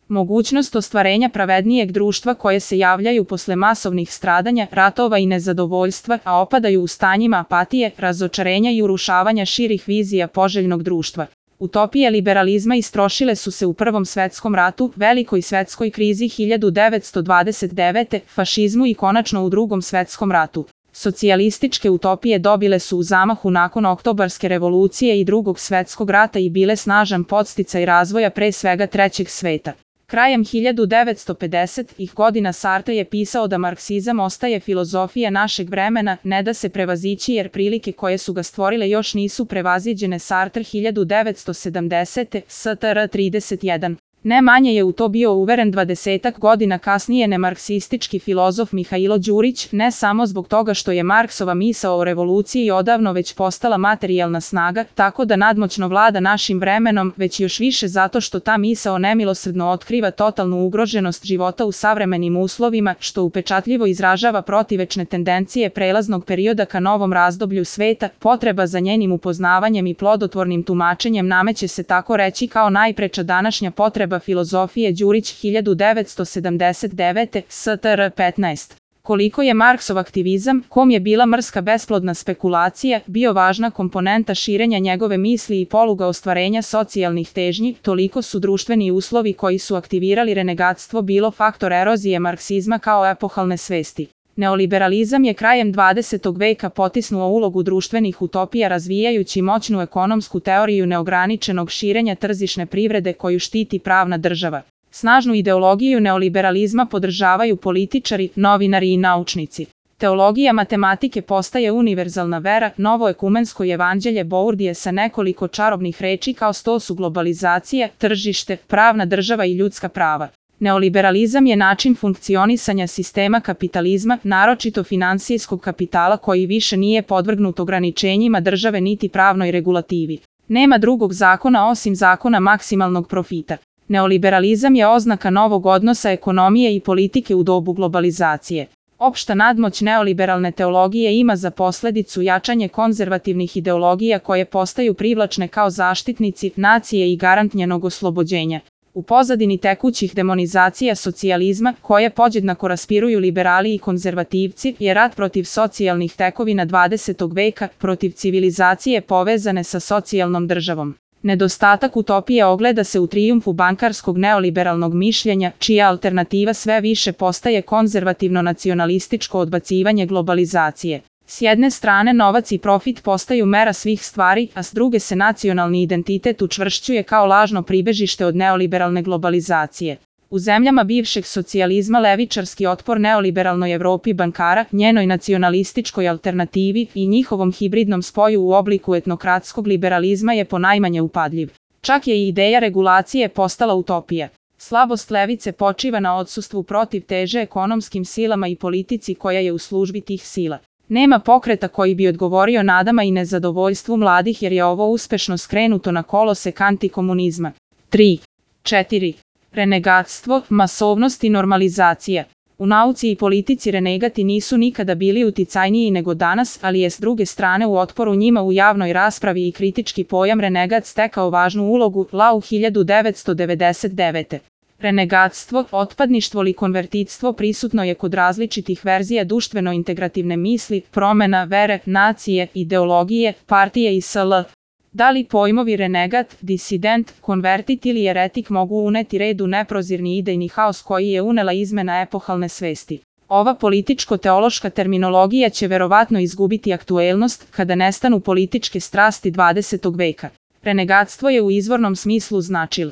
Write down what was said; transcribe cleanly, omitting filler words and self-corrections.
Mogućnost ostvarenja pravednijeg društva koje se javljaju posle masovnih stradanja, ratova i nezadovoljstva, a opadaju u stanjima apatije, razočarenja i urušavanja širih vizija poželjnog društva. Utopije liberalizma istrošile su se u Prvom svetskom ratu, velikoj svetskoj krizi 1929, fašizmu i konačno u Drugom svetskom ratu. Socijalističke utopije dobile su u zamahu nakon Oktobarske revolucije i Drugog svetskog rata i bile snažan podsticaj razvoja pre svega trećeg sveta. Krajem 1950-ih godina Sartre je pisao da marksizam ostaje filozofija našeg vremena, ne da se prevazići jer prilike koje su ga stvorile još nisu prevaziđene. Sartre 1970, STR 31. Ne manje je u to bio uveren 20 godina kasnije nemarksistički filozof Mihailo Đurić, ne samo zbog toga što je Marksova misao o revoluciji odavno već postala materijalna snaga, tako da nadmoćno vlada našim vremenom, već još više zato što ta misao nemilosrdno otkriva totalnu ugroženost života u savremenim uslovima, što upečatljivo izražava protivečne tendencije prelaznog perioda ka novom razdoblju sveta. Potreba za njenim upoznavanjem i plodotvornim tumačenjem nameće se tako reći kao najpreča današnja potreba filozofije. Đurić 1979, STR 15. Koliko je Marksov aktivizam, kom je bila mrska besplodna spekulacija, bio važna komponenta širenja njegove misli i poluga ostvarenja socijalnih težnji, toliko su društveni uslovi koji su aktivirali renegatstvo bilo faktor erozije marksizma kao epohalne svesti. Neoliberalizam je krajem 20. veka potisnuo ulogu društvenih utopija razvijajući moćnu ekonomsku teoriju neograničenog širenja tržišne privrede koju štiti pravna država. Snažnu ideologiju neoliberalizma podržavaju političari, novinari i naučnici. Teologija matematike postaje univerzalna vera, novo ekumensko evanđelje Bourdije sa nekoliko čarobnih reči kao sto su globalizacija, tržište, pravna država i ljudska prava. Neoliberalizam je način funkcionisanja sistema kapitalizma, naročito finansijskog kapitala koji više nije podvrgnut ograničenjima države niti pravnoj regulativi. Nema drugog zakona osim zakona maksimalnog profita. Neoliberalizam je oznaka novog odnosa ekonomije i politike u dobu globalizacije. Opšta nadmoć neoliberalne teologije ima za posledicu jačanje konzervativnih ideologija koje postaju privlačne kao zaštitnici nacije i garant njenog oslobođenja. U pozadini tekućih demonizacija socijalizma, koje podjednako raspiruju liberali i konzervativci, je rat protiv socijalnih tekovina 20. veka, protiv civilizacije povezane sa socijalnom državom. Nedostatak utopije ogleda se u trijumfu bankarskog neoliberalnog mišljenja, čija alternativa sve više postaje konzervativno nacionalističko odbacivanje globalizacije. S jedne strane novac i profit postaju mera svih stvari, a s druge se nacionalni identitet učvršćuje kao lažno pribežište od neoliberalne globalizacije. U zemljama bivšeg socijalizma levičarski otpor neoliberalnoj Evropi bankara, njenoj nacionalističkoj alternativi i njihovom hibridnom spoju u obliku etnokratskog liberalizma je ponajmanje upadljiv. Čak je i ideja regulacije postala utopija. Slabost levice počiva na odsustvu protiv teže ekonomskim silama i politici koja je u službi tih sila. Nema pokreta koji bi odgovorio nadama i nezadovoljstvu mladih jer je ovo uspešno skrenuto na kolosek antikomunizma. 3. 4. Renegatstvo, masovnost i normalizacija. U nauci i politici renegati nisu nikada bili uticajniji nego danas, ali je s druge strane u otporu njima u javnoj raspravi i kritički pojam renegat stekao važnu ulogu. Lau 1999. Renegatstvo, otpadništvo ili konvertitstvo prisutno je kod različitih verzija društveno-integrativne misli, promena, vere, nacije, ideologije, partije i sl. Da li pojmovi renegat, disident, konvertit ili eretik mogu uneti red u neprozirni idejni haos koji je unela izmena epohalne svesti? Ova političko-teološka terminologija će verovatno izgubiti aktuelnost kada nestanu političke strasti 20. veka. Renegatstvo je u izvornom smislu značilo